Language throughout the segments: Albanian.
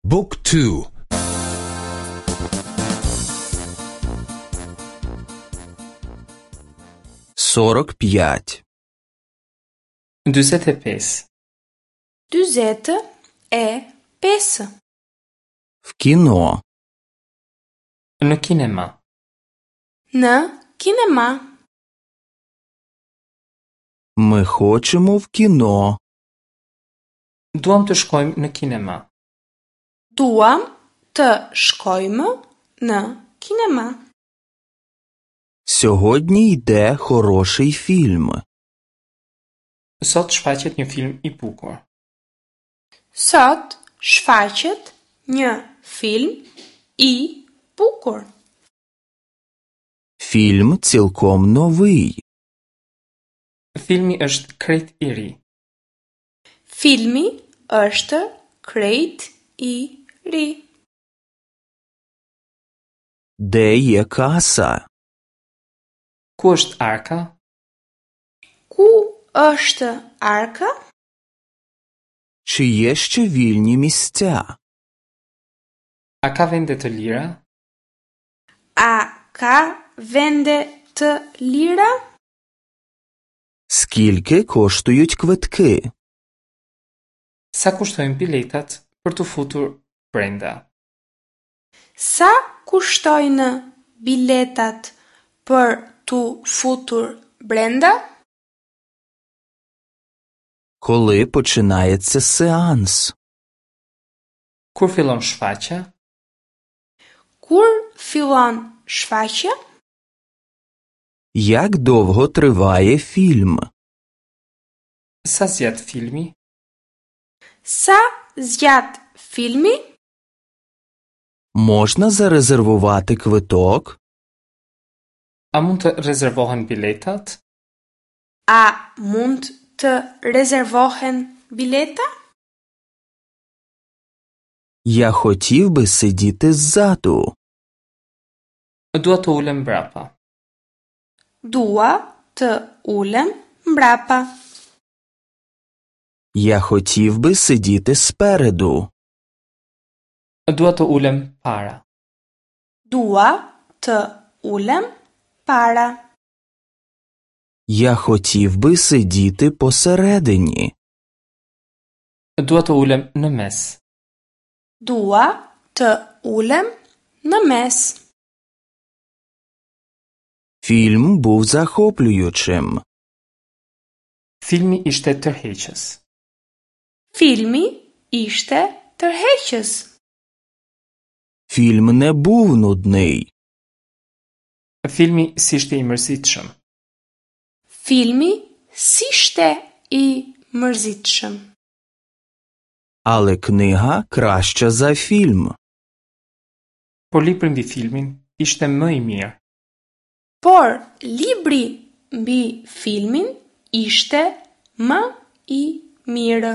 Book 2 45. 45. 45. В кіно. Në kinema. Në kinema. Ми хочемо в кіно. Duam të shkojmë në kinema. Duam të shkojmë në kinema. Сьогодні йде хороший фільм. Sot shfaqet një film i bukur. Sot shfaqet një film i bukur. Фільм цілком новий. Filmi është krejt i ri. Filmi është krejt i ri. Де є каса? Ku është arka? Ku është arka? Чи є ще вільні місця? A ka vende të lira? A ka vende të lira? Скільки коштують квитки? Sa kushtojnë biletat për t'u futur brenda? Sa kushtojnë biletat për t'u futur brenda? Коли починається сеанс? Kur fillon shfaqja? Kur fillon shfaqja? Як довго триває фільм? Sa zgjat filmi? Sa zgjat filmi? Можна зарезервувати квиток? A mund të rezervohen biletat? A mund të rezervohen bileta? Я хотів би сидіти ззаду. Dua të ulem mbrapa. Dua të ulem mbrapa. Я хотів би сидіти спереду. Dua të ulem para. Dua të ulem para. Я хотів би сидіти посередині. Dua të ulem në mes. Dua të ulem në mes. Фільм був захоплюючим. Filmi ishte tërheqës. Filmi ishte tërheqës. Фільм не був нудний. Filmi s'ishte i mërzitshëm. Filmi s'ishte i mërzitshëm. Але книга краща за фільм. Por libri mbi filmin ishte më i mirë. Por libri mbi filmin ishte më i mirë.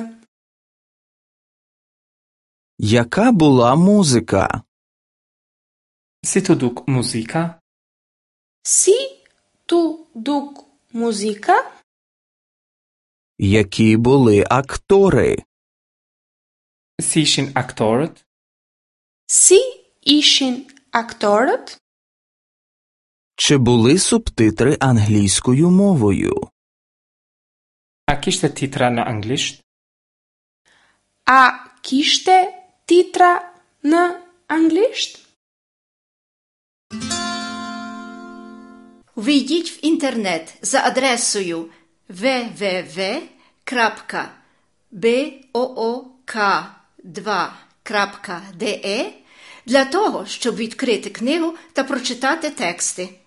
Яка була музика? Si t'u duk muzika? Si t'u duk muzika? Які були актори? Si ishin aktorët? Si ishin aktorët? Чи були субтитри англійською мовою? A kishte titra në anglisht? A kishte titra në anglisht? Ввійдіть в інтернет за адресою www.book2.de для того, щоб відкрити книгу та прочитати тексти.